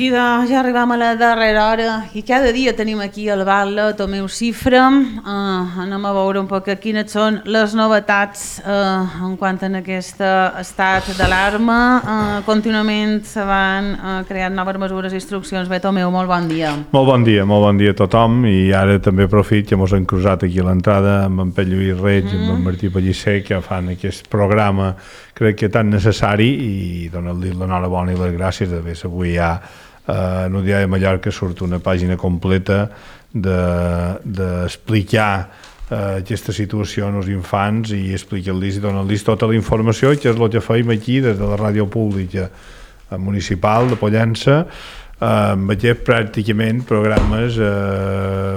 I doncs ja arribam a la darrera hora i cada dia tenim aquí al Batlle Tomeu Cifra. Anem a veure un poc quines són les novetats en quant a aquest estat d'alarma. Contínuament se van creant noves mesures i instruccions. Bé, Tomeu, molt bon dia. Molt bon dia a tothom, i ara també aprofit que ens hem cruzat aquí a l'entrada amb en Pep Lluís Reig i amb en Martí Pellicer, que fan aquest programa, crec que tan necessari, i donar-li l'enhorabona i les gràcies d'haver avui ja en un diari de Mallorca surt una pàgina completa d'explicar aquesta situació als infants i explicar-los i donar-los tota la informació, que és el que feim aquí des de la ràdio pública municipal de Pollença, amb aquests pràcticament programes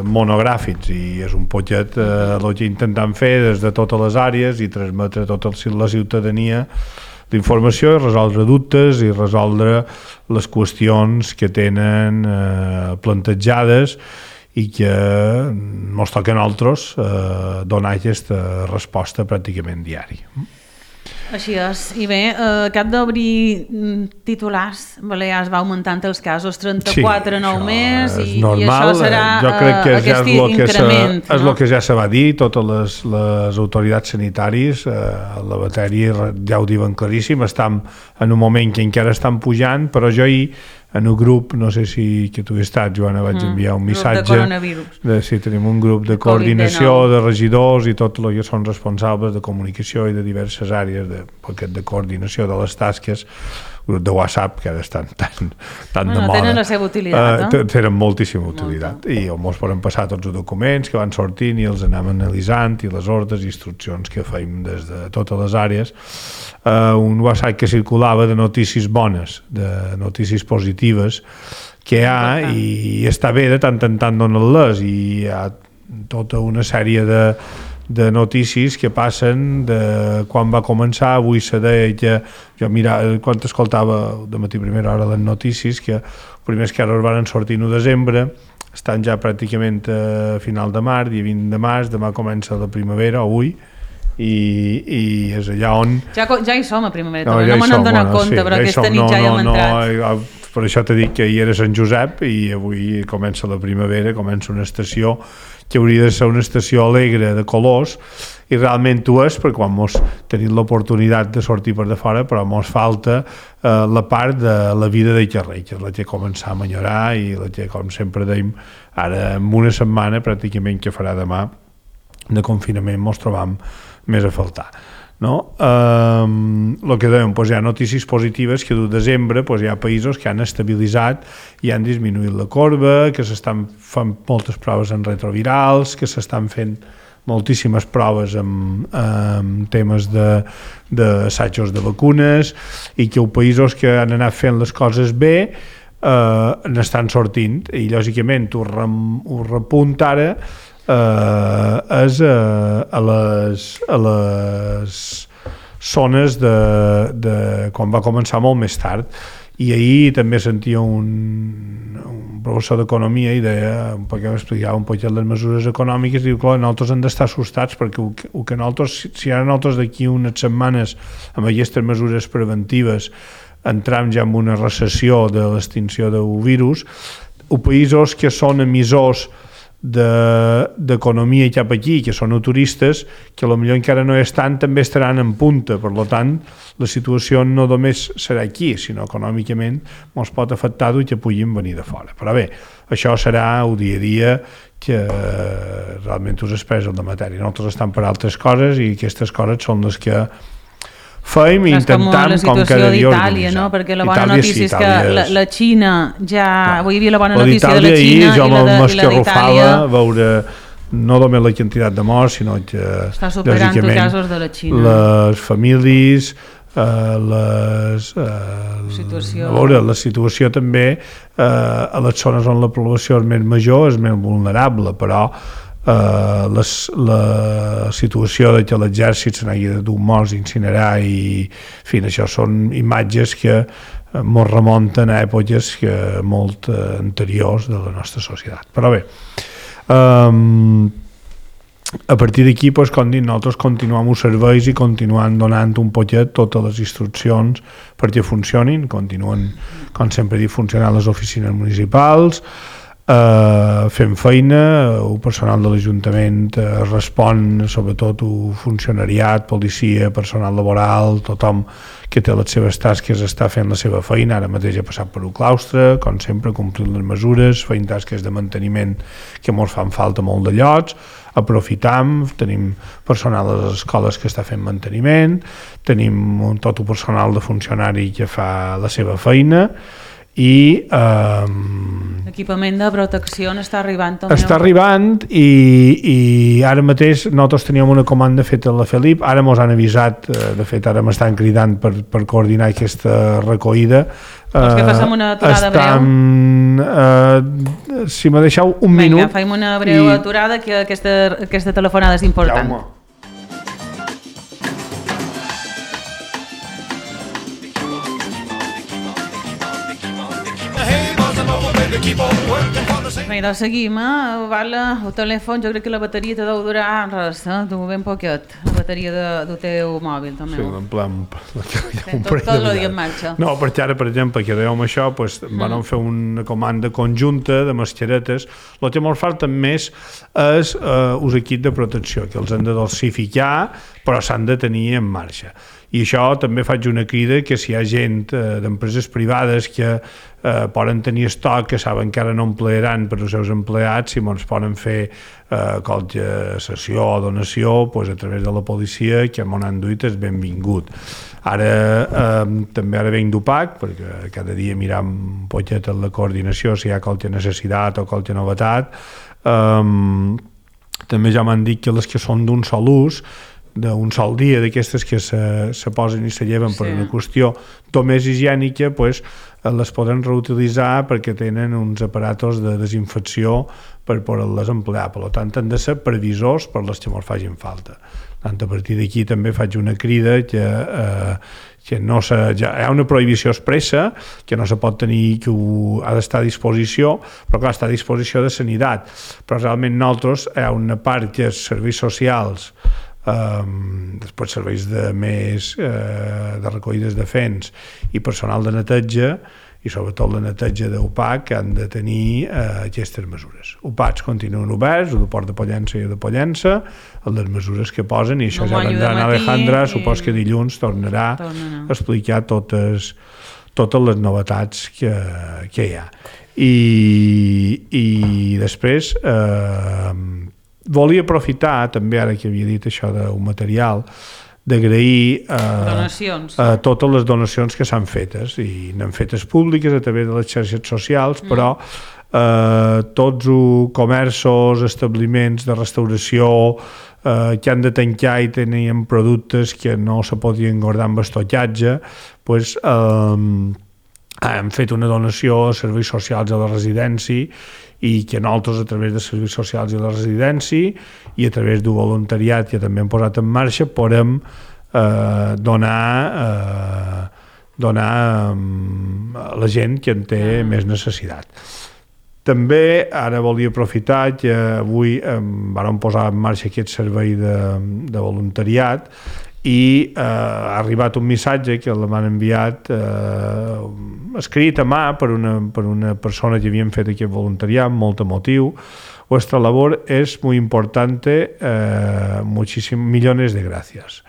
monogràfics, i és un poquet el que intentem fer des de totes les àrees i transmetre a tota la ciutadania d'informació i resoldre dubtes i resoldre les qüestions que tenen plantejades i que ens toca a nosaltres donar aquesta resposta pràcticament diària. Així és. I bé, cap d'obrir titulars, Balears va augmentant els casos, 34 en un mes, i això serà aquest increment. És el que ja se va dir, totes les autoritats sanitàries, la matèria ja ho diuen claríssim, estem en un moment que encara estan pujant, però jo en un grup, no sé si que tu hi estat, Joana, vaig enviar un missatge si tenim un grup de coordinació de regidors i tots els que són responsables de comunicació i de diverses àrees de coordinació de les tasques, grup de WhatsApp que ara estan tan de moda. Tenen la seva utilitat, no? Tenen moltíssima utilitat, i ens poden passar tots els documents que van sortint i els anem analitzant, i les ordres i instruccions que feim des de totes les àrees. Un WhatsApp que circulava de notícies bones, de notícies positives que hi ha, i està bé de tant en tant donar-les, i hi ha tota una sèrie de notícies que passen de quan va començar. Avui se deia que jo quan escoltava de matí primera hora les notícies, que els primers casos van sortir en desembre, estan ja pràcticament a final de març, dia 20 de març, demà comença la primavera, avui, i és allà on... Ja hi som a primavera, no me n'hem donat compte, però aquesta nit ja hi hem entrat. Per això t'he dit que ahir era Sant Josep i avui comença la primavera, comença una estació que hauria de ser una estació alegre, de colors, i realment ho és, perquè quan mos tenim l'oportunitat de sortir per de fora, però mos falta la part de la vida de carrer, que és la que comença a millorar, i la que, com sempre dèiem, ara en una setmana pràcticament que farà demà de confinament mos trobam més a faltar. No? El que dèiem, hi ha notícies positives que del desembre hi ha països que han estabilitzat i han disminuït la corba, que s'estan fent moltes proves en retrovirals, que s'estan fent moltíssimes proves amb temes d'assajos de vacunes, i que els països que han anat fent les coses bé n'estan sortint, i lògicament ho repunt ara és a les zones de quan va començar molt més tard. I ahir també sentia un professor d'economia i deia, perquè m'explicava un poc les mesures econòmiques, diu que nosaltres hem d'estar assustats, perquè que nosaltres, si ara nosaltres d'aquí unes setmanes amb aquestes mesures preventives entram ja en una recessió de l'extinció del virus, els països que són emissors d'economia cap aquí, que són turistes, que potser encara no estan, també estaran en punta. Per tant, la situació no només serà aquí, sinó econòmicament ens pot afectar i que puguin venir de fora. Però bé, això serà el dia a dia, que realment us expressa la matèria. Nosaltres estem per altres coses, i aquestes coses són les que feim i intentem com cada dia d'Itàlia, no? Perquè la bona notícia és que la Xina ja... Avui hi havia la bona notícia de la Xina i la d'Itàlia. Veure no només la quantitat de morts, sinó que està superant els casos de la Xina. Les famílies, la situació també a les zones on la població és més major és més vulnerable, però la situació de que l'exèrcit se n'hagi de dur morts, incinerar, i en fi, això són imatges que ens remunten a èpoques molt anteriors de la nostra societat. Però bé, a partir d'aquí, doncs, com dic, nosaltres continuem els serveis i continuem donant un poquet totes les instruccions perquè funcionin, continuen, com sempre he dit, funcionant les oficines municipals, fent feina, el personal de l'Ajuntament respon, sobretot el funcionariat, policia, personal laboral, tothom que té les seves tasques està fent la seva feina. Ara mateix he passat per un claustre, com sempre, complint les mesures, fent tasques de manteniment que ens fan falta molt de llocs, aprofitam, tenim personal a les escoles que està fent manteniment, tenim tot el personal de funcionari que fa la seva feina, i l'equipament de protecció està arribant també. Està arribant i ara mateix nosaltres teníem una comanda feta a la Felip, ara ens han avisat, de fet ara m'estan cridant per coordinar aquesta recollida. Vols que passem una aturada breu? Si m'ha deixat un minut. Vinga, faim una breu aturada, que aquesta telefonada és important. Jaume. Bé, doncs seguim, el telèfon, jo crec que la bateria te deu durar res, ben poquet, la bateria del teu mòbil també. Sí, en plan... Tot el dia en marxa. No, perquè ara, per exemple, que dèiem això, vam fer una comanda conjunta de mascaretes. El que ens falta més és els equips de protecció, que els han de dosificar, però s'han de tenir en marxa. I això també faig una crida que si hi ha gent d'empreses privades que poden tenir estoc, que saben que ara no emplearan per als seus empleats, si ens poden fer qualque sessió o donació a través de la policia, que m'ho han duit, és benvingut. Ara també venc d'OPAC, perquè cada dia miram un poquet la coordinació, si hi ha qualque necessitat o qualque novetat. També ja m'han dit que les que són d'un sol ús, d'un sol dia, d'aquestes que se posen i se lleven per una qüestió només higiènica, les poden reutilitzar perquè tenen uns aparatos de desinfecció per poder-les emplear. Per tant, han de ser previsors per les que ens facin falta. A partir d'aquí també faig una crida que no hi ha una prohibició expressa, que no se pot tenir, que ha d'estar a disposició, però clar, està a disposició de sanitat. Però realment nosaltres hi ha una part que és serveis socials, després serveis de recollides de fens i personal de neteja, i sobretot la neteja d'UPAC, que han de tenir aquestes mesures. UPACs continuen oberts, el de Port de Pollença i el de Pollença, les mesures que posen, i això ja vendrà Alejandra, supos que dilluns tornarà a explicar totes les novetats que hi ha. I després volia aprofitar també, ara que havia dit això d'un material, d'agrair totes les donacions que s'han fetes, i n'han fetes públiques a través de les xarxes socials, però tots els comerços, establiments de restauració que han de tancar i tenien productes que no se podien guardar amb estocatge, hem fet una donació a serveis socials a la residència, i que nosaltres, a través de serveis socials i la residència i a través del voluntariat que també hem posat en marxa, podem donar a la gent que en té més necessitat. També ara volia aprofitar que avui vam posar en marxa aquest servei de voluntariat, i ha arribat un missatge que m'han enviat escrit a mà per una persona que havien fet aquest voluntariat, molt emotiu. Vuestra labor es muy importante, millones de gracias.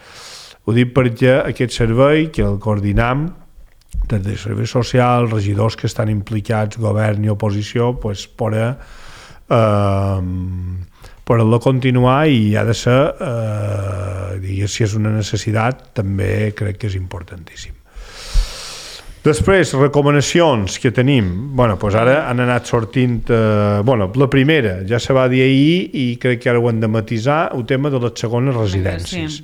Ho dic perquè aquest servei, que el coordinam des de serveis socials, regidors que estan implicats, govern i oposició, per continuar, i ha de ser, si és una necessitat, també crec que és importantíssim. Després, recomanacions que tenim. Ara han anat sortint... La primera ja se va dir ahir, i crec que ara ho hem de matisar, el tema de les segones residències.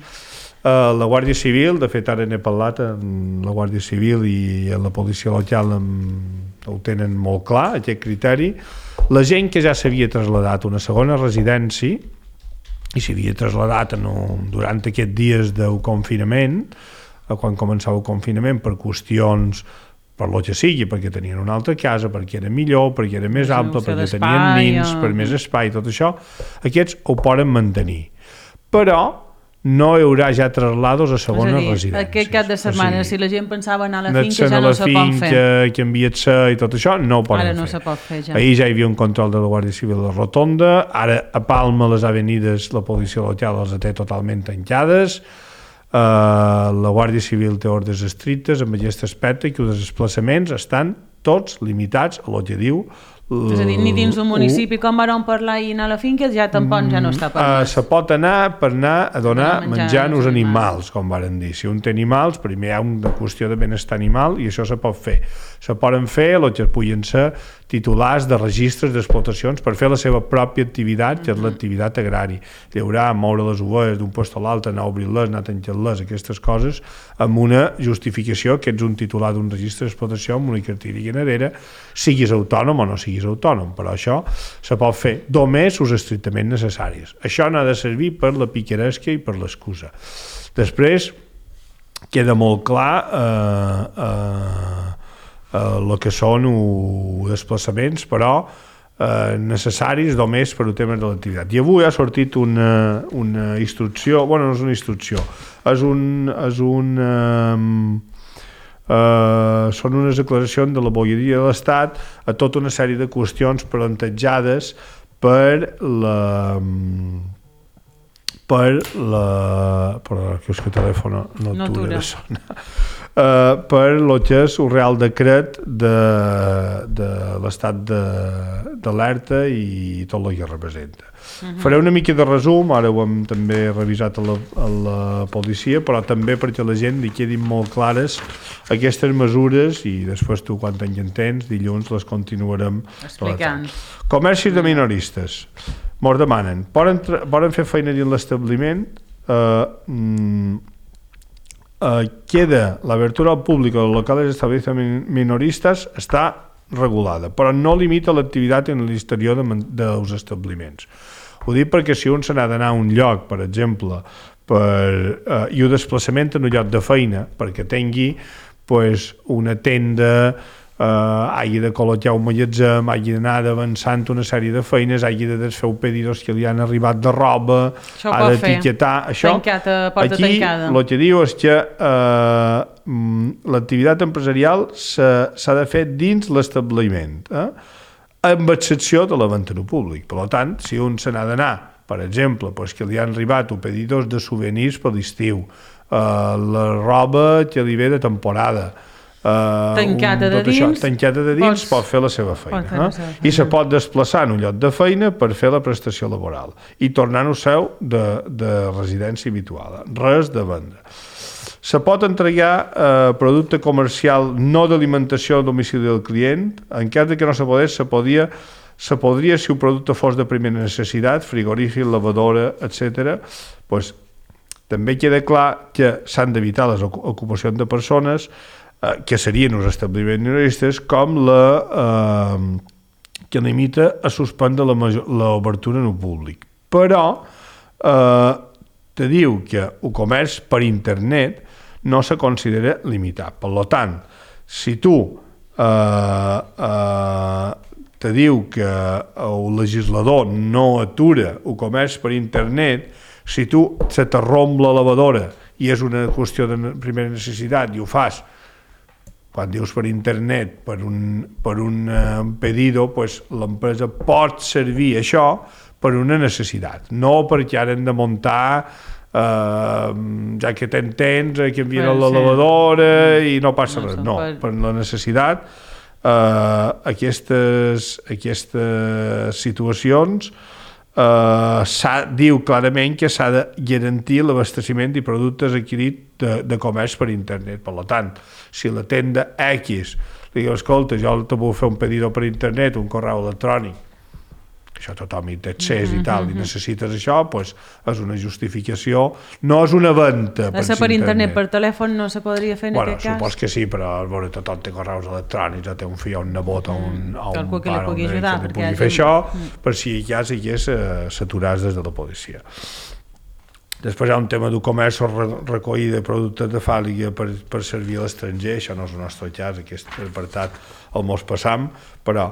La Guàrdia Civil, de fet ara n'he parlat amb la Guàrdia Civil i la policia local, ho tenen molt clar, aquest criteri. La gent que ja s'havia traslladat a una segona residència i s'havia traslladat durant aquests dies del confinament, quan començava el confinament, per qüestions, per lo que sigui, perquè tenien una altra casa, perquè era millor, perquè era més ample, perquè tenien nins, per més espai, tot això, aquests ho poden mantenir. però no hi haurà ja traslados a segones residències. Aquest cap de setmana, si la gent pensava anar a la finca, ja no se pot fer. Canviar-se i tot això, no ho poden fer. Ara no se pot fer, ja. Ahir ja hi havia un control de la Guàrdia Civil a la Rotonda, ara a Palma les avenides la policia local les té totalment tancades, la Guàrdia Civil té ordres estrictes amb aquest aspecte que els desplaçaments estan tots limitats a el que diu. És a dir, ni dins un municipi com vam parlar i anar a la finca ja tampoc ja no està permès. Se pot anar per anar a donar menjar als animals, com varen dir. Si un té animals, primer hi ha una qüestió de benestar animal i això se pot fer. Se poden fer el que puguin ser titulars de registres d'explotacions per fer la seva pròpia activitat, que és l'activitat agrària. Llaurar, moure les ovelles d'un lloc a l'altre, anar a obrir-les, anar a tancar-les, aquestes coses, amb una justificació que ets un titular d'un registre d'explotació amb una cartilla ganadera, siguis autònom o no siguis autònom, però això se pot fer només els estrictament necessaris. Això no ha de servir per la picaresca i per l'excusa. Després queda molt clar el que són desplaçaments, però necessaris només per al tema de l'activitat. I avui ha sortit una instrucció, bueno, no és una instrucció, són unes declaracions de la Bolleria de l'Estat a tota una sèrie de qüestions plantejades per perdó, que és que el telèfon no atura de sonar, per el que és el Real Decret de l'estat d'alerta i tot el que representa. Faré una mica de resum, ara ho hem també revisat a la policia, però també perquè la gent li quedin molt clares aquestes mesures i després tu quan t'entens dilluns les continuarem explicant. Comercis de minoristes mos demanen, poden fer feina dins l'establiment, queda l'abertura al públic dels locals d'establiments minoristes està regulada, però no limita l'activitat en l'exterior dels establiments. Ho dic perquè si un se n'ha d'anar a un lloc, per exemple, i un desplaçament en un lloc de feina, perquè tingui una tenda, hagi de col·locar un magatzem, hagi d'anar avançant una sèrie de feines, hagi de desfer pedidos que li han arribat de roba, ha d'etiquetar això. Aquí el que diu és que l'activitat empresarial s'ha de fer dins l'establiment, amb excepció de la venda en públic. Per tant, si un se n'ha d'anar, per exemple, que li han arribat pedidos de souvenirs per l'estiu, la roba que li ve de temporada, tancada de dins, pot fer la seva feina i se pot desplaçar en un lloc de feina per fer la prestació laboral i tornar al seu de residència habitual, res de venda. Se pot entregar producte comercial no d'alimentació al domicili del client, en cas que no se podés, se podria, si un producte fos de primera necessitat, frigorífic, lavadora, etc., també queda clar que s'han d'evitar les ocupacions de persones que serien els establiments minoristes, com la que limita a suspendre l'obertura en el públic. Però te diu que el comerç per internet no se considera limitat. Per tant, si tu te diu que el legislador no atura el comerç per internet, si tu se t'arromp la lavadora i és una qüestió de primera necessitat i ho fas quan dius per internet, per un pedido, l'empresa pot servir això per una necessitat, no perquè ara hem de muntar, ja que tens, que envien la lavadora i no passa res. No, per la necessitat, aquestes situacions diu clarament que s'ha de garantir l'abasteciment de productes adquirits de comerç per internet. Per tant, si la tenda X li diu, escolta, jo te vull fer un pedido per internet, un correu electrònic, això tothom hi té accés i tal, i necessites això, és una justificació, no és una venda per internet. Per telèfon no se podria fer en aquest cas? Supos que sí, però tothom té correus electrònics, o té un fill o un nebot o un algú que li pugui ajudar, que li pugui fer això, per si ja s'aturàs des de la policia. Després hi ha un tema del comerç recollir de productes de fàl·lica per servir a l'estranger, això no és el nostre cas, aquest apartat el mos passam, però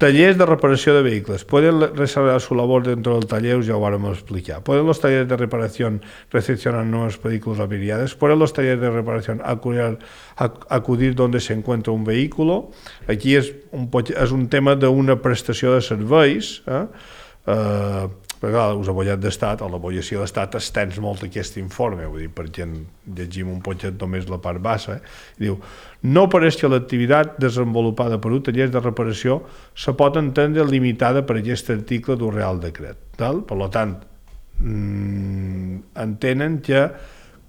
Talleres de reparación de vehículos. Pueden desarrollar su labor dentro del taller, ya lo vamos a explicar. Pueden los talleres de reparación recepcionar nuevos vehículos averiados. Pueden los talleres de reparación acudir donde se encuentra un vehículo. Aquí es un tema d'una prestació de serveis, perquè clar, us abollat d'estat o l'abollació d'estat estens molt aquest informe, vull dir, perquè llegim un poquet només la part baixa, diu, no pareix que l'activitat desenvolupada per un taller de reparació se pot entendre limitada per aquest article d'un Real Decret, tal? Per tant, entenen que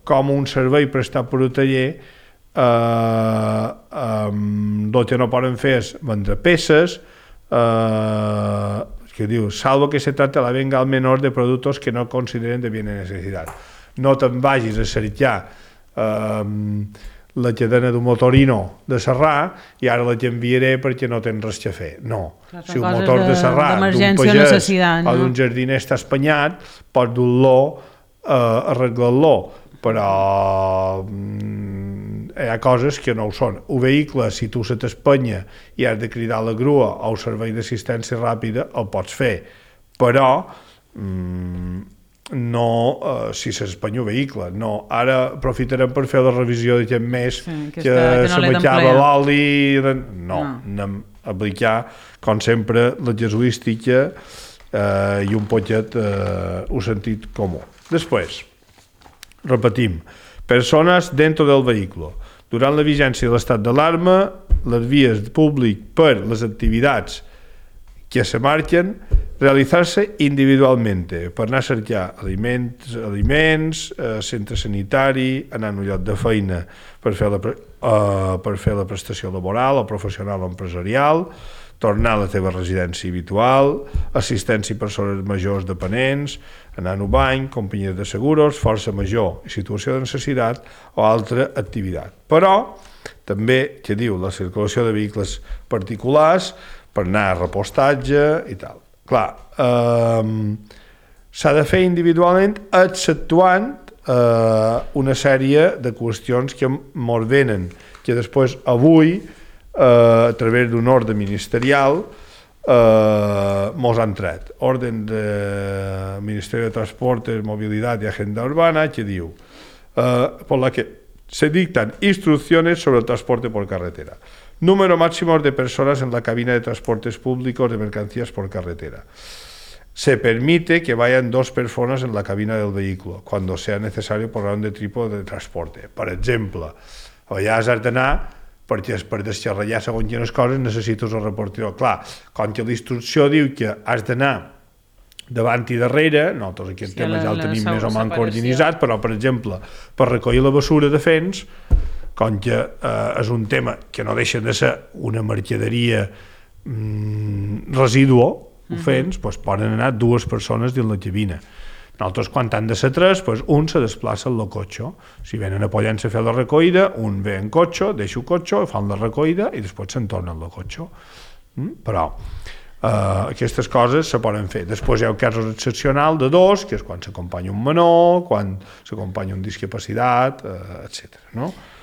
com un servei prestat per un taller el que no poden fer és vendre peces, que diu, salvo que se trate a la venda al menor de productos que no consideren de bien de necesidad. No te'n vagis a cercar la cadena d'un motorino de serrar i ara la t'enviaré perquè no tens res a fer. No. Si un motor de serrar d'un pagès o d'un jardiner està espanyat, pots dur-lo, arreglar-lo, però hi ha coses que no ho són. Un vehicle, si tu se t'espanya i has de cridar la grua o el servei d'assistència ràpida, el pots fer, però no si s'espanya un vehicle. No, ara aprofitarem per fer la revisió d'aquest mes que se m'acaba l'oli. No, anem a aplicar, com sempre, la casuística i un poquet un sentit comú. Després, repetim, persones dentro del vehículo. Durant la vigència de l'estat d'alarma, les vies públiques per les activitats que se marquen, realitzar-se individualment, per anar a cercar aliments, centre sanitari, anar a un lloc de feina per fer la prestació laboral o professional o empresarial, tornar a la teva residència habitual, assistència a persones majors dependents, anar a un bany, companyia de seguros, força major i situació de necessitat o altra activitat. Però també, que diu, la circulació de vehicles particulars per anar a repostatge i tal. Clar, s'ha de fer individualment exceptuant una sèrie de qüestions que mos venen, que després avui a través d'un ordre ministerial mos han tret. Orden del Ministerio de Transportes, Movilidad y Agenda Urbana, que diu por la que se dictan instrucciones sobre el transporte por carretera. Número máximo de personas en la cabina de transportes públicos de mercancías por carretera. Se permite que vayan 2 personas en la cabina del vehículo cuando sea necesario por raón de tipo de transporte. Per exemple, allà has d'anar perquè per desxarrellar segons quines coses necessites un reportador. Clar, com que la instrucció diu que has d'anar davant i darrere, nosaltres aquest tema ja el tenim més o menys coordinat, però, per exemple, per recollir la basura de fens, com que és un tema que no deixa de ser una mercaderia residuo, fens, poden anar 2 persones dins la cabina. Nosaltres, quan han de ser 3, un se desplaça en el cotxe. Si venen apoyant-se a fer la recollida, un ve en cotxe, deixa el cotxe, fan la recollida i després se'n torna en el cotxe. Però aquestes coses se poden fer. Després hi ha un cas excepcional de 2, que és quan s'acompanya un menor, quan s'acompanya un discapacitat, etc.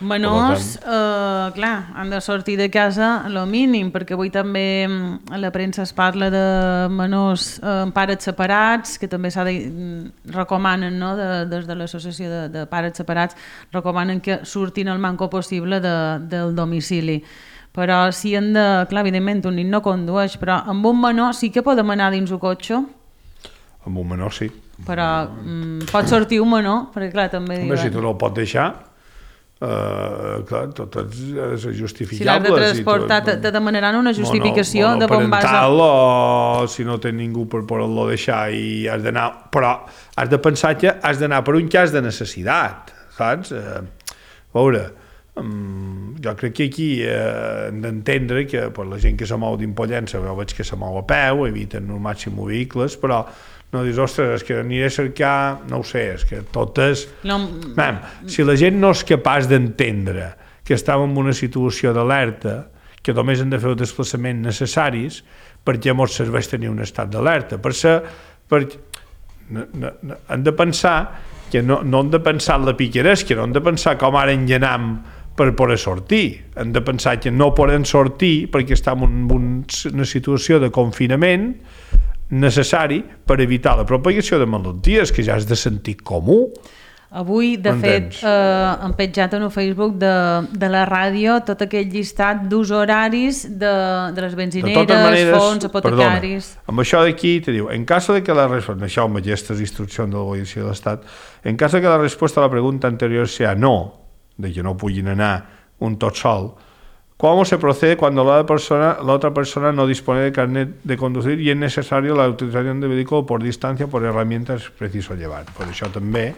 Menors, clar, han de sortir de casa a lo mínim, perquè avui també a la premsa es parla de menors amb pares separats, que també recomanen, des de l'associació de pares separats, recomanen que surtin el manco possible del domicili. Però si han de... Clar, evidentment, un nen no condueix, però amb un menor sí que podem anar dins el cotxe? Amb un menor sí. Però pot sortir un menor? Perquè clar, també... Home, si tu no el pots deixar, clar, tot és justificable. Si l'has de transportar, te demanaran una justificació de on vas... Parental, o si no té ningú per poder-lo deixar i has d'anar... Però has de pensar que has d'anar per un cas de necessitat, saps? A veure... jo crec que aquí hem d'entendre que la gent que se mou d'Impollença veig que se mou a peu, eviten al màxim vehicles, però no dius, ostres, és que aniré a cercar, no ho sé, és que tot és... Si la gent no és capaç d'entendre que estàvem en una situació d'alerta, que només hem de fer els desplaçaments necessaris, perquè ens serveix tenir un estat d'alerta. Hem de pensar que no hem de pensar en la picaresca, no hem de pensar com ara enllenam per poder sortir. Hem de pensar que no podem sortir perquè estem en una situació de confinament necessari per evitar la propagació de malalties, que ja és de sentit comú. Avui, de fet, han penjat en el Facebook de la ràdio tot aquell llistat d'ús horaris de les benzineres, fons, apotecaris... Perdona, amb això d'aquí te diu, en caso de que la respuesta, això amb aquestes instruccions de la Policia de l'Estat, en caso de que la respuesta a la pregunta anterior sea no, de que no puguin anar un tot sol, ¿cómo se procede cuando la otra persona no dispone de carnet de conducir y es necesario la utilización de vehículo por distancia por herramientas preciso llevar? Per això també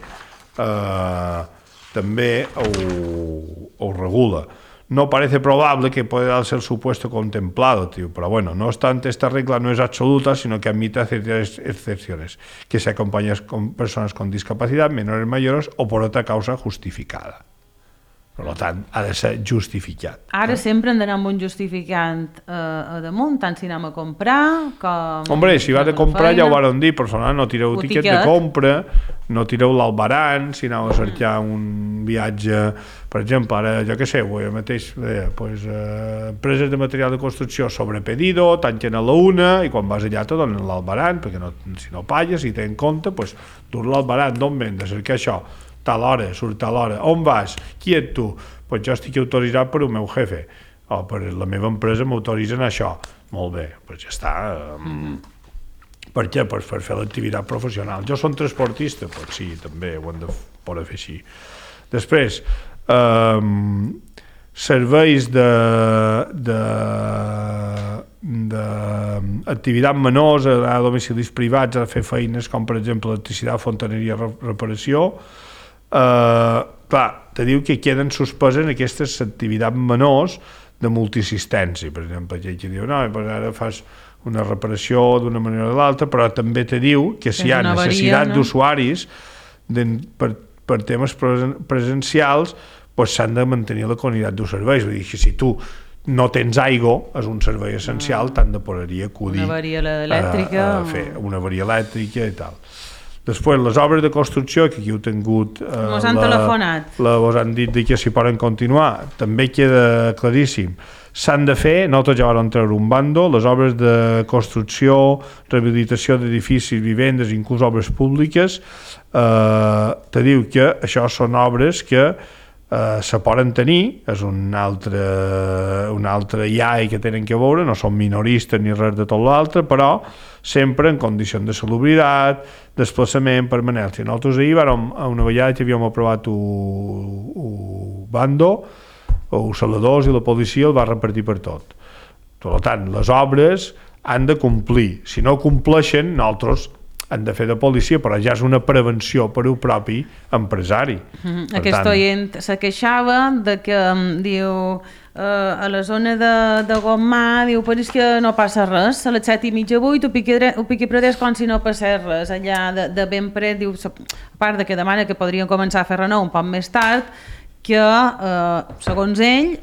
ho regula. No parece probable que pueda darse el supuesto contemplado, tío, pero bueno, no obstante, esta regla no es absoluta, sino que admite ciertas excepciones, que se acompañan con personas con discapacidad, menores mayores o por otra causa justificada. Per tant, ha de ser justificat. Ara sempre hem d'anar amb un justificant a damunt, tant si anem a comprar com... Hombre, si vas a comprar ja ho varen dir, personal, no tireu tiquet de compra, no tireu l'albaran, si aneu a cercar un viatge, per exemple, ara, jo què sé, avui mateix, empreses de material de construcció sobre pedido, tanquen a la 1 i quan vas allà te donen l'albaran, perquè si no pagues, si tenen compte, doncs dur l'albaran, d'on ven, de cercar això, tal hora, surt tal hora, on vas, qui ets tu? Doncs jo estic autoritzat per un meu jefe, o per la meva empresa m'autoritzen això. Molt bé, doncs ja està. Per què? Per fer l'activitat professional. Jo som transportista, doncs sí, també ho hem de poder fer així. Després, serveis d'activitat menors a domicilis privats a fer feines com per exemple electricitat, fontaneria, reparació. Clar, te diu que queden suspeses aquestes activitats menors de multiassistència, per exemple, que diu, no, ara fas una reparació d'una manera o de l'altra, però també te diu que si hi ha necessitat d'usuaris per temes presencials, doncs s'han de mantenir la qualitat dels serveis. Vull dir que si tu no tens aigua, és un servei essencial, t'han de poder acudir una avaria elèctrica, a fer una avaria elèctrica i tal. Després, les obres de construcció, que aquí heu tingut... Ens han telefonat. Us han dit que s'hi poden continuar. També queda claríssim. S'han de fer, nosaltres ja vam treure un bando, les obres de construcció, rehabilitació d'edificis, vivendes, inclús obres públiques, te diu que això són obres que se poden tenir, és un altre IAE que tenen que veure, no són minoristes ni res de tot l'altre, però sempre en condicions de salubritat, desplaçament, permanència. Nosaltres ahir a una vegada que havíem aprovat un bando, els saladors i la policia el va repartir per tot. Per tant, les obres han de complir. Si no compleixen, nosaltres han de fer de policia, però ja és una prevenció per al propi empresari. Aquest oient se queixava de que, diu, a la zona de Gomà, diu, però és que no passa res, a les 7:30, 8, ho piqui predés com si no passés res, allà de ben pret, diu, a part de que demana que podrien començar a fer renou un poc més tard, que, segons ell,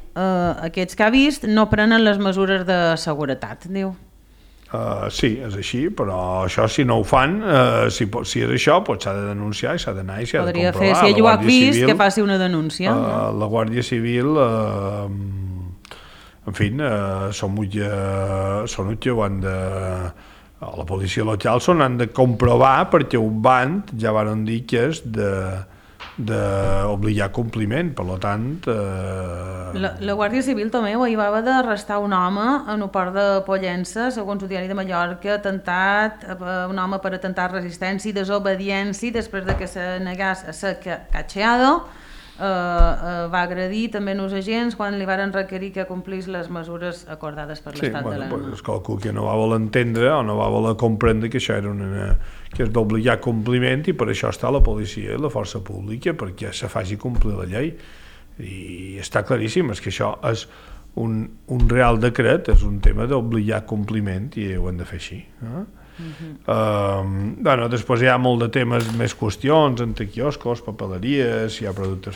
aquests que ha vist no prenen les mesures de seguretat, diu. Sí, és així, però això si no ho fan, si és això, s'ha de denunciar i s'ha d'anar i s'ha de comprovar. Podria fer, si ell ho ha vist, que faci una denúncia. La Guàrdia Civil, en fi, són que ho han de... La policia local han de comprovar perquè un band ja van dir que és d'obligar compliment, per tant... La Guàrdia Civil també ho va d'arrestar un home en el port de Pollença, segons el diari de Mallorca, un home per atemptar resistència i desobediència després de que se negés a ser catxeado, va agredir també els agents quan li varen requerir que complís les mesures acordades per l'estat d'alarma. És qualcú que no va voler entendre o no va voler comprendre que això era que és d'obligar compliment i per això està la policia i la força pública, perquè se faci complir la llei. I està claríssim, és que això és un real decret, és un tema d'obligar compliment i ho hem de fer així. Després hi ha molt de temes, més qüestions, entre quioscos, papeleries, hi ha productes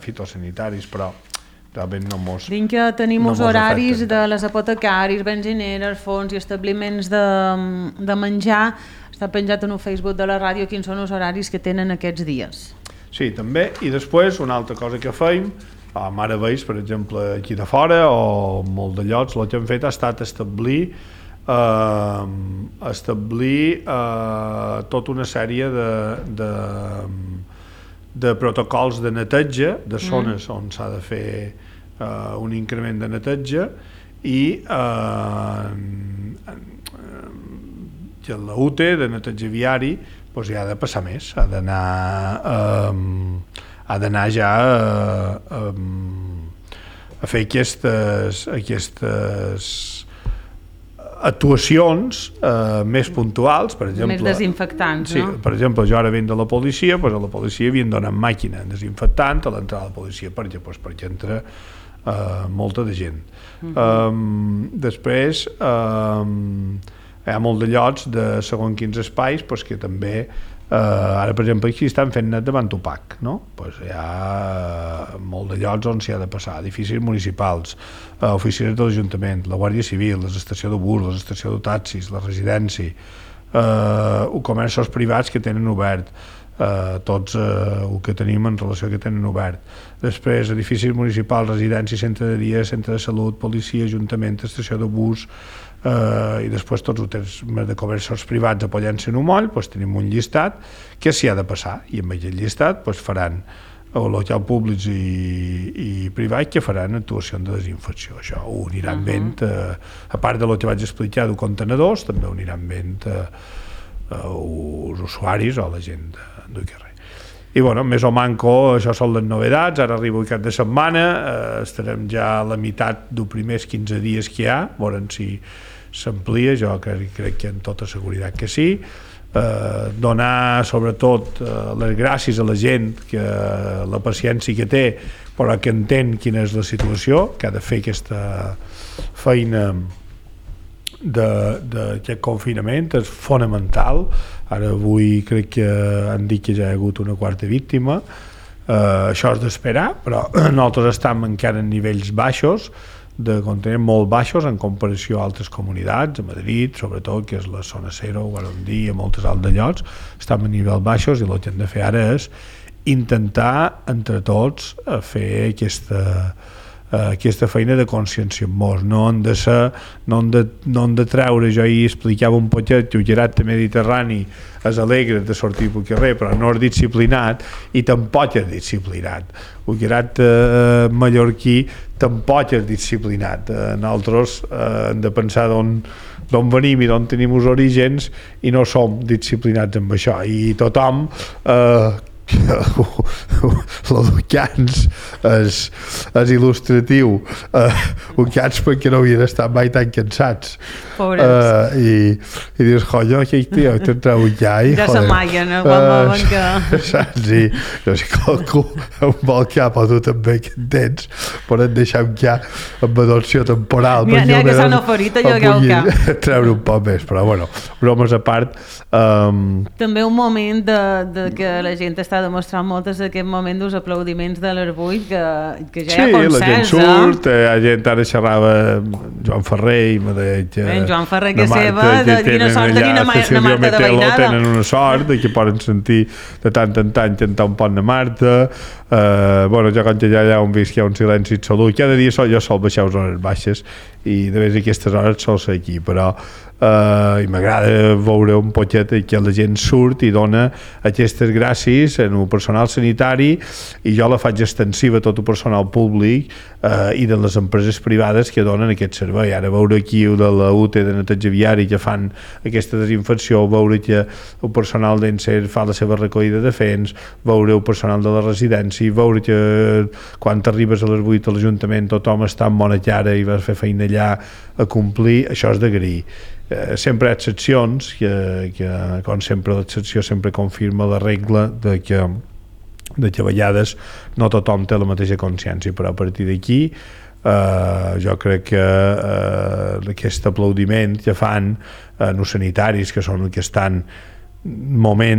fitosanitaris, però realment no mos... Dic que tenim els horaris de les apotecaris, benzineres, fons i establiments de menjar. Està penjat en el Facebook de la ràdio quins són els horaris que tenen aquests dies. Sí, també, i després una altra cosa que feim a Maravells, per exemple, aquí de fora, o molt de llocs, el que hem fet ha estat establir tota una sèrie de protocols de neteja de zones on s'ha de fer un increment de neteja i la UTE de neteja viari doncs ja ha de passar més, ha d'anar ja a fer aquestes actuacions més puntuals, per exemple... Més desinfectants, sí, no? Per exemple, jo ara venc de la policia, doncs a la policia havien donat màquina desinfectant a l'entrada de la policia perquè entra molta de gent. Després, hi ha molt de llocs de segons quins espais que també ara per exemple aquí estan fent net davant Tupac, no? Hi ha molt de llocs on s'hi ha de passar, edificis municipals, oficines de l'Ajuntament, la Guàrdia Civil, l'estació de bus, l'estació de taxis, la residència, comerços privats que tenen obert, tots el que tenim en relació que tenen obert. Després edificis municipals, residències, centre de dia, centre de salut, policia, ajuntament, estació de bus, i després tots els hotels de comerços privats apoyant-se en un moll, tenim un llistat que s'hi ha de passar i amb aquest llistat faran locals públics i privats que faran actuacions de desinfecció. Això ho aniran vent, a part del que vaig explicar de contenedors, també ho aniran vent els usuaris o la gent del carrer. I més o manco, això són les novedats. Ara arriba el cap de setmana, estarem ja a la meitat dels primers 15 dies que hi ha, veurem si s'amplia, jo crec que amb tota seguretat que sí. Donar sobretot les gràcies a la gent, que la paciència que té, però que entén quina és la situació, que ha de fer aquesta feina d'aquest confinament, és fonamental. Ara avui crec que han dit que ja hi ha hagut una quarta víctima, això és d'esperar, però nosaltres estem encara en nivells baixos, de conteniment molt baixos en comparació a altres comunitats, a Madrid sobretot, que és la zona 0, ho vam dir, a moltes altres llocs, estem a nivells baixos i el que hem de fer ara és intentar entre tots fer aquesta feina de conscienciar-nos, no hem de treure, jo ahir explicava un poquet que el gerat mediterrani és alegre de sortir pel carrer, però no és disciplinat i tampoc és disciplinat. El gerat mallorquí tampoc és disciplinat. Nosaltres hem de pensar d'on venim i d'on tenim els orígens i no som disciplinats amb això, i tothom l'Ucans és il·lustratiu, Ucans perquè no havien estat mai tan cansats, i dius, jo aquell tio te'n treu ja i ja s'amaien saps? I no sé, qualcú amb el cap o tu també que en tens poden deixar un cap amb adopció temporal, n'hi ha que s'han oferit allò que el cap treure un poc més, però bromes a part, també un moment de que la gent està demostrant moltes d'aquest moment dels aplaudiments de l'Arbull que ja hi ha consens. Sí, la gent surt, hi ha gent, ara xerrava Joan Ferrer i me deia Joan Ferrer que seva, de quina sort tenir una Marta de Veïnada. Tenen una sort que poden sentir de tant en tant cantar un pont de Marta. Jo quan allà on visc hi ha un silenci absolut, cada dia jo sol baixar les hores baixes i de vegades aquestes hores sol ser aquí, però i m'agrada veure un poquet que la gent surt i dona aquestes gràcies en el personal sanitari, i jo la faig extensiva a tot el personal públic i de les empreses privades que donen aquest servei. Ara veure aquí el de la UTE de neteja viari que fan aquesta desinfecció, veure que el personal d'Enser fa la seva recollida de fens, veure el personal de la residència, veure que quan arribes a les 8 a l'Ajuntament tothom està amb bona cara i vas fer feina allà a complir, això és d'agrair. Sempre hi ha excepcions que com sempre l'excepció sempre confirma la regla de que a vegades no tothom té la mateixa consciència, però a partir d'aquí jo crec que aquest aplaudiment que fan els sanitaris, que són els que estan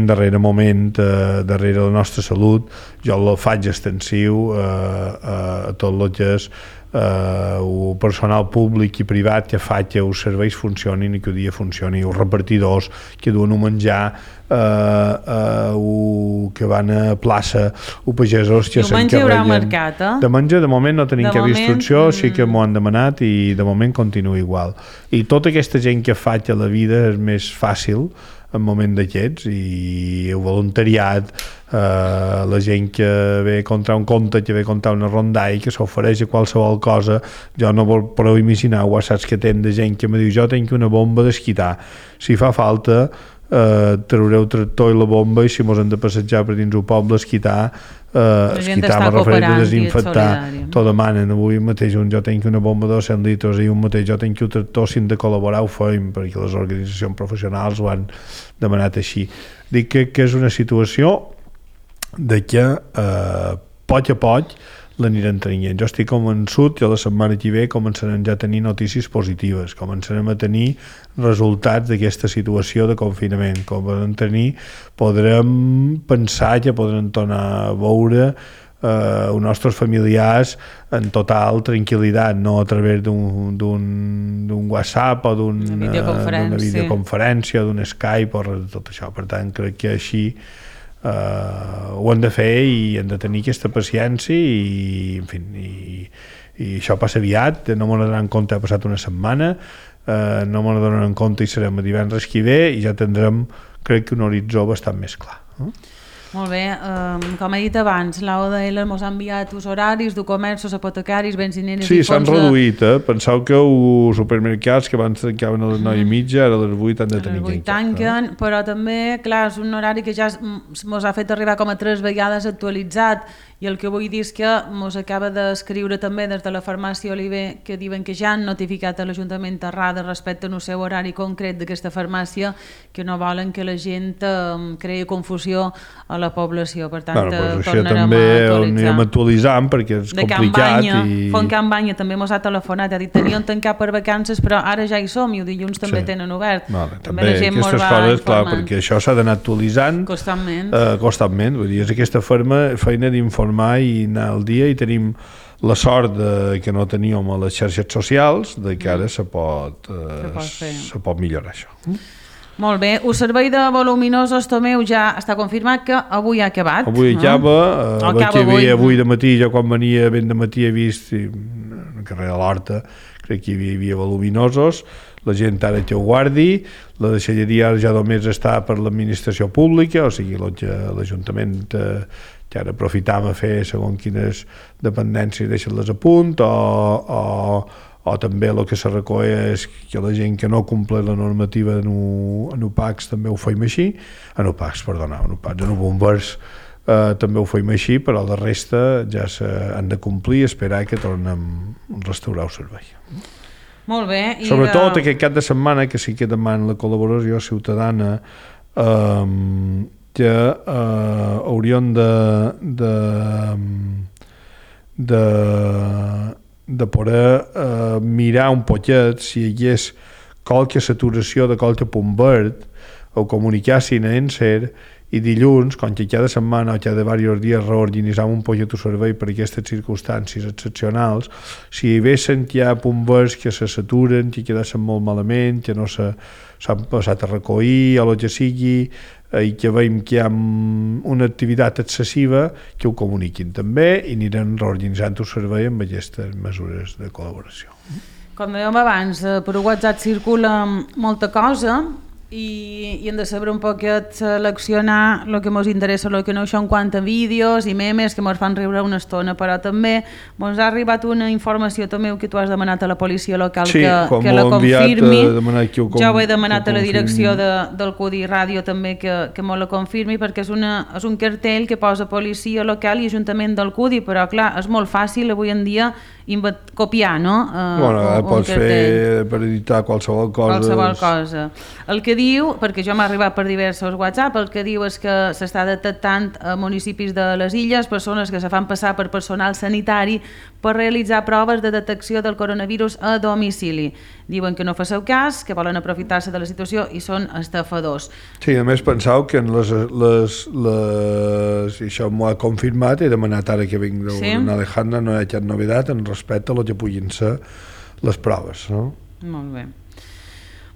darrere moment, darrere la nostra salut, jo el faig extensiu a tot el que és el personal públic i privat que fa que els serveis funcionin i que el dia funcioni, els repartidors que duen un menjar, que van a plaça, els pagesos que s'encarreguen. Diumenge hi haurà mercat, De menjar, de moment no tenim cap instrucció, sí que m'ho han demanat i de moment continua igual. I tota aquesta gent que fa que la vida és més fàcil en moment d'aquests, i el voluntariat, la gent que ve a comprar un conte, que ve a comprar una rondalla, que s'ofereix a qualsevol cosa. Jo no podeu imaginar whatsapps que tenen de gent que me diu: jo tinc una bomba d'esquitar, si fa falta traureu el tractor i la bomba, i si mos hem de passejar per dins el poble esquitar, me refereix a desinfectar, t'ho demanen. Avui mateix jo tinc una bomba de 200 litres i un mateix jo tinc el tractor, si hem de col·laborar ho feim, perquè les organitzacions professionals ho han demanat així. Dic que és una situació de que poc a poc l'anirem traient. Jo estic convençut que la setmana que ve començarem ja a tenir notícies positives, començarem a tenir resultats d'aquesta situació de confinament, podrem pensar que podrem tornar a veure els nostres familiars en total tranquil·litat, no a través d'un WhatsApp o d'una videoconferència o d'un Skype o res de tot això. Per tant, crec que així ho hem de fer i hem de tenir aquesta paciència i en fi, i això passa aviat, no m'ho donaran compte, ha passat una setmana, no m'ho donaran compte i serem a divendres que ve i ja tindrem, crec que un horitzó bastant més clar. Molt bé, com he dit abans, l'AODL ens ha enviat els horaris de comerços, apotecaris, benzineres i fons. Sí, s'han reduït, Penseu que els supermercats que abans tancaven a les 9:30, ara a les 8 han de tenir que tanquen, però també, clar, és un horari que ja ens ha fet arribar com a 3 vegades actualitzat, i el que vull dir és que ens acaba d'escriure també des de la farmàcia Oliver, que diuen que ja han notificat a l'Ajuntament Terrada respecte al seu horari concret d'aquesta farmàcia, que no volen que la gent creï confusió a la població. Per tant, tornarem a actualitzar. Anirem actualitzant perquè és complicat. Font Campanya també ens ha telefonat, ha dit teníem tancat per vacances, però ara ja hi som i el dilluns també tenen obert. També aquestes coses, clar, perquè això s'ha d'anar actualitzant constantment. Vull dir, és aquesta feina d'informar i anar al dia, i tenim la sort que no teníem a les xarxes socials, de que ara se pot millorar això. Molt bé, el servei de voluminosos, Tomeu, ja està confirmat que avui ha acabat. Avui acaba, avui de matí, jo quan venia ben de matí he vist al carrer de l'Horta, crec que hi havia voluminosos, la gent ara que ho guardi, la deixalleria ja només està per l'administració pública, o sigui, l'Ajuntament que ara aprofitam a fer segons quines dependències deixen-les a punt, o també el que se recull és que la gent que no compleix la normativa en UPACs també ho fem així, en bombers també ho fem així, però la resta ja s'han de complir i esperar que tornem a restaurar el servei. Molt bé. Sobretot aquest cap de setmana, que sí que demana la col·laboració ciutadana, que hauríem de poder mirar un poquet si hi hagués qualque saturació de qualque punt verd, o comunicar-s'hi a ENSER, i dilluns, com que cada setmana o cada diversos dies reorganitzam un poquet el servei per aquestes circumstàncies excepcionals, si hi haguessin ja punts verds que se saturen, que quedessin molt malament, que no s'han passat a recollir o el que sigui, i que veiem que hi ha una activitat excessiva, que ho comuniquin també i anirem reorganitzant el servei amb aquestes mesures de col·laboració. Com dèiem abans, per WhatsApp circula molta cosa i hem de saber un poquet seleccionar el que ens interessa, el que no, això en quant a vídeos i memes que ens fan riure una estona, però també ens ha arribat una informació també que tu has demanat a la policia local que la confirmi. Jo ho he demanat a la direcció del CUDI Ràdio també que me la confirmi, perquè és un cartell que posa policia local i ajuntament del CUDI, però clar, és molt fàcil avui en dia copiar, no? Pots fer per editar qualsevol cosa. El que diu, perquè jo m'ha arribat per diversos WhatsApp, el que diu és que s'està detectant a municipis de les illes persones que se fan passar per personal sanitari per realitzar proves de detecció del coronavirus a domicili. Diuen que no faceu cas, que volen aprofitar-se de la situació i són estafadors. Sí, a més pensau que en i això m'ho ha confirmat, he demanat ara que vinc d'una Alejandra, no hi ha cap novedat en respecte a lo que puguin ser les proves, no? Molt bé.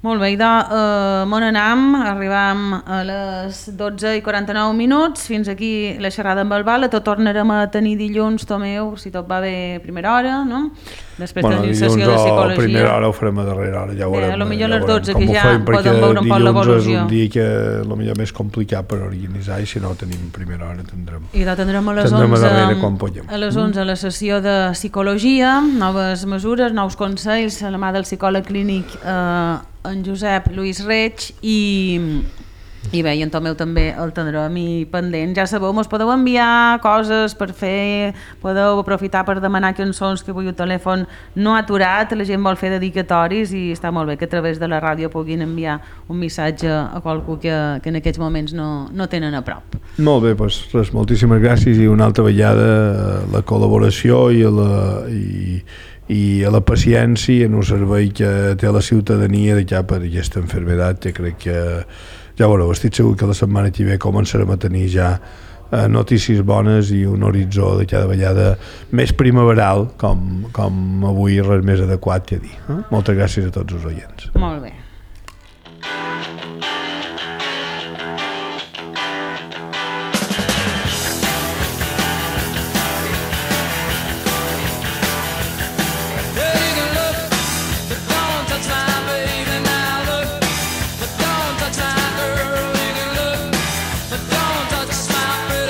Molt bé, on anem? Arribam a les 12:49. Fins aquí la xerrada amb el Val. Tot tornarem a tenir dilluns, Tomeu, si tot va bé, primera hora, no? Després tenim sessió de psicologia. A primera hora ho farem a darrera hora, ja ho veurem. Potser a les 12, que ja podem veure un poc l'evolució. Dilluns és un dia que potser més complicat per organitzar i si no tenim primera hora tindrem. I tindrem a les 11 a la sessió de psicologia, noves mesures, nous consells a la mà del psicòleg clínic en Josep Lluís Reig i bé, i en Tomeu també el tindrem pendent. Ja sabeu, mos podeu enviar coses per fer, podeu aprofitar per demanar cançons que avui el telèfon no ha aturat, la gent vol fer dedicatoris i està molt bé que a través de la ràdio puguin enviar un missatge a qualcú que en aquests moments no tenen a prop. Molt bé, doncs res, moltíssimes gràcies i una altra vegada la col·laboració i a la paciència en un servei que té la ciutadania de cap per aquesta malaltia, que crec que ja veureu, estic segur que la setmana que ve començarem a tenir ja notícies bones i un horitzó de cada vegada més primaveral com avui res més adequat que dir. Moltes gràcies a tots els oients. Molt bé.